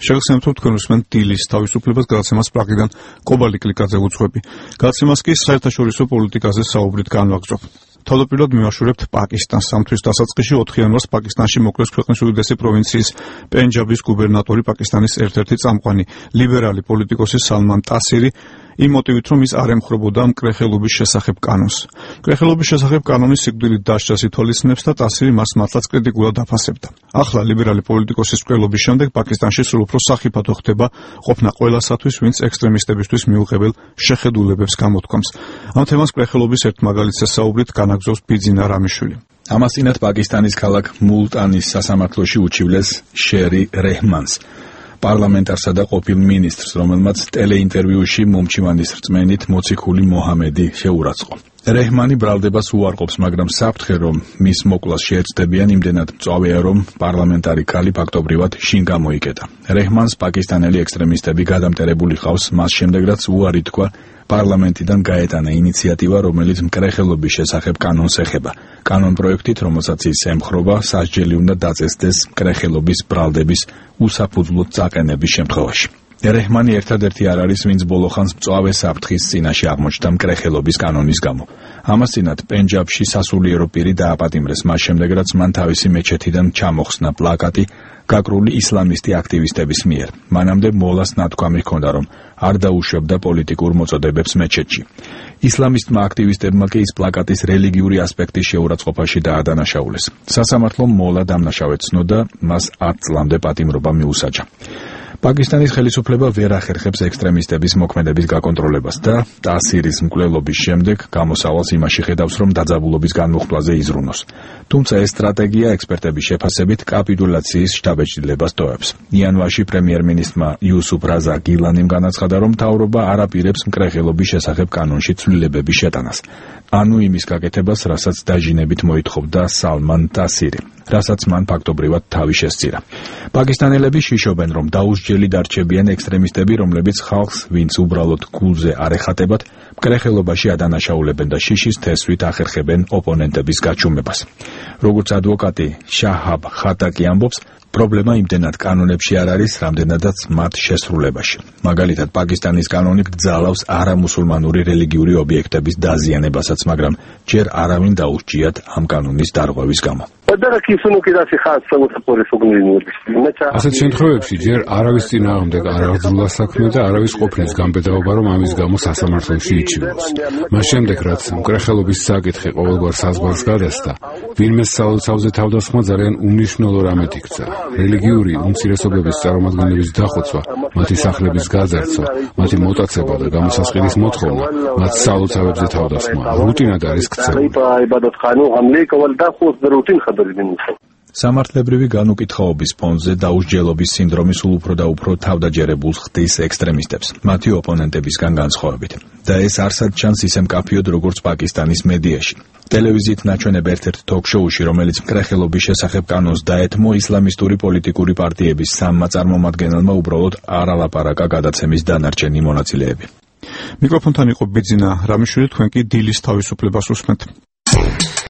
შეგახსენებთ, რომ თქვენ უსმენთ დილის თავისუფლებას გადაცემას პრაღიდან კობალი კლიკაძე უძღვები. გადაცემას კი საერთაშორისო პოლიტიკაზე საუბრით განვაგრძობ. თავდაპირველად მივაშურებთ პაკისტანს. ამ თვის დასაწყისში 4 იანვარს პაკისტანში მოკლეს ქვეყნის უდიდესი პროვინციის პენჯაბის გუბერნატორი, პაკისტანის ერთ-ერთი წამყვანი ლიბერალი პოლიტიკოსი სალმან ტასირი, იმ მოტივით, რომ ის არ ემხრობოდა მკრეხელობის შესახებ კანონს. მკრეხელობის შესახებ კანონის სიკვდილით დასჯას ითვალისწინებს და ტასირი მას მართლაც კრიტიკულად აფასებდა. ახლა ლიბერალი პოლიტიკოსის მკვლელობის შემდეგ პაკისტანში სულ უფრო სახიფათო ხდება ყოფნა ყველასათვის, ვინც ექსტრემისტებისთვის მიუღებელ შეხედულებებს გამოთქვამს. ამ თემას მკრეხელობის ერთ მაგალითზე საუბრით განაგზობს ბიძინა რამიშვილი. ამასწინათ პაკისტანის ქალაქ მულტანის სასამართლოში უჩივლეს შერი რეჰმანს, პარლამენტარსა და ყოფილ მინისტრს, რომელმაც ტელეინტერვიუში მომჩივანის რწმენით მოციქული მოჰამედი შეურაცხყო. რეჰმანი ბრალდებას უარყოფს, მაგრამ საფრთხე, რომ მის მოკვლას შეეცდებიან, იმდენად მწვავეა, რომ პარლამენტარი ქალი ფაქტობრივად შინ გამოიკეტა. რეჰმანს პაკისტანელი ექსტრემისტები გადამტერებული ყავს, მას შემდეგ რაც უარი თქვა პარლამენტიდან გაეტანა ინიციატივა, რომელიც მკრეხელობის შესახებ კანონს ეხება. კანონპროექტით, რომელსაც ის ემხრობა, სასჯელი უნდა დაწესდეს მკრეხელობის ბრალდების უსაფუძვლოდ წაყენების შემთხვევაში. რეჰმანი ერთადერთი არ არის, ვინც ბოლოხანს მწვავე საფრთხის წინაშე აღმოჩნდა მკრეხელობის კანონის გამო. ამასწინათ, პენჯაბში სასულიერო პირი დააპატიმრეს მას შემდეგ, რაც მან თავისი მეჩეთიდან ჩამოხსნა პლაკატი გაკრული ისლამისტი აქტივისტების მიერ. მანამდე მოლას ნათქვამი ჰქონდა, რომ არ დაუშვებდა პოლიტიკურ მოწოდებებს მეჩეთში. ისლამისტმა აქტივისტებმა კი ის პლაკატის რელიგიური ასპექტის შეურაცხყოფაში დაადანაშაულეს. სასამართლომ მოლა დამნაშავედ ცნოდა, მას 10 წლამდე პატიმრობა მიუსაჯა. პაკისტანის ხელისუფლება ვერ ახერხებს ექსტრემისტების მოქმედების გაკონტროლებას და ტასირის მკვლელობის შემდეგ გამოსავალს იმაში ხედავს, რომ დაძაბულობის განმუხტვაზე იზრუნოს. თუმცა ეს სტრატეგია ექსპერტების შეფასებით კაპიტულაციის შთაბეჭდილებას ტოვებს. იანვარში პრემიერ-მინისტრმა იუსუფ რაზა გილანიმ განაცხადა, რომ მთავრობა არ აპირებს მკრეხელობის შესახებ კანონში ცვლილებების შეტანას. ანუ იმის გაკეთებას, რასაც დაჟინებით მოითხოვდა სალმან ტასირი, რასაც მან ფაქტობრივად თავი შესწირა. პაკისტანელები შიშობენ, რომ დაუსჯელი დარჩებიან ექსტრემისტები, რომლებიც ხალხს, ვინც უბრალოდ გულზე არ ეხატებათ, მკრეხელობაში ადანაშაულებენ და შიშის თესვით ახერხებენ ოპონენტების გაჩუმებას. როგორც ადვოკატი შაჰაბ ხატაკი ამბობს, პრობლემა იმდენად კანონებში არ არის, რამდენადაც მათ შესრულებაში. მაგალითად, პაკისტანის კანონი გძალავს არამუსულმანური რელიგიური ობიექტების დაზიანებასაც, მაგრამ ჯერ არავინ დაუსჯიათ ამ კანონის დარღვევის გამო. ასეთ შემთხვევებში ჯერ არავის წინააღმდეგ არ აღძრულა საქმე და არავის ყოფნის განბედაობა, რომ ამის გამო სასამართლოში იჩივლოს. მას შემდეგ, რაც მკრეხელობის საკითხი ყოველგვარ საზღვარს გადასცა, ვინმეს სალოცავზე თავდასხმა ძალიან უმნიშვნელო რამედ იქცა. რელიგიური უმცირესობების წარმომადგენლების დახოცვა, მათი სახლების გაძარცვა, მათი მოტაცება და გამოსასყიდის მოთხოვნა, მათ სალოცავებზე თავდასხმა რუტინად არის ქცეული. სამართლებრივი განუკითხაობის ფონზე დაუსჯელობის სინდრომი სულ უფრო და უფრო თავდაჯერებულს ხდის ექსტრემისტებს, მათი ოპონენტებისგან განსხვავებით. და ეს არსად ჩანს ისე მკაფიოდ, როგორც პაკისტანის მედიაში. ტელევიზიით ნაჩვენებ ერთ-ერთ თოქ-შოუში, რომელიც მკრეხელობის შესახებ კანონს დაეთმო, ისლამისტური პოლიტიკური პარტიების 3 წარმომადგენელმა უბრალოდ არ ალაპარაკა გადაცემის დანარჩენი მონაწილეები. მიკროფონთან იყო ბიძინა რამიშვილი, თქვენ კი დილის თავისუფლებას უსმენთ.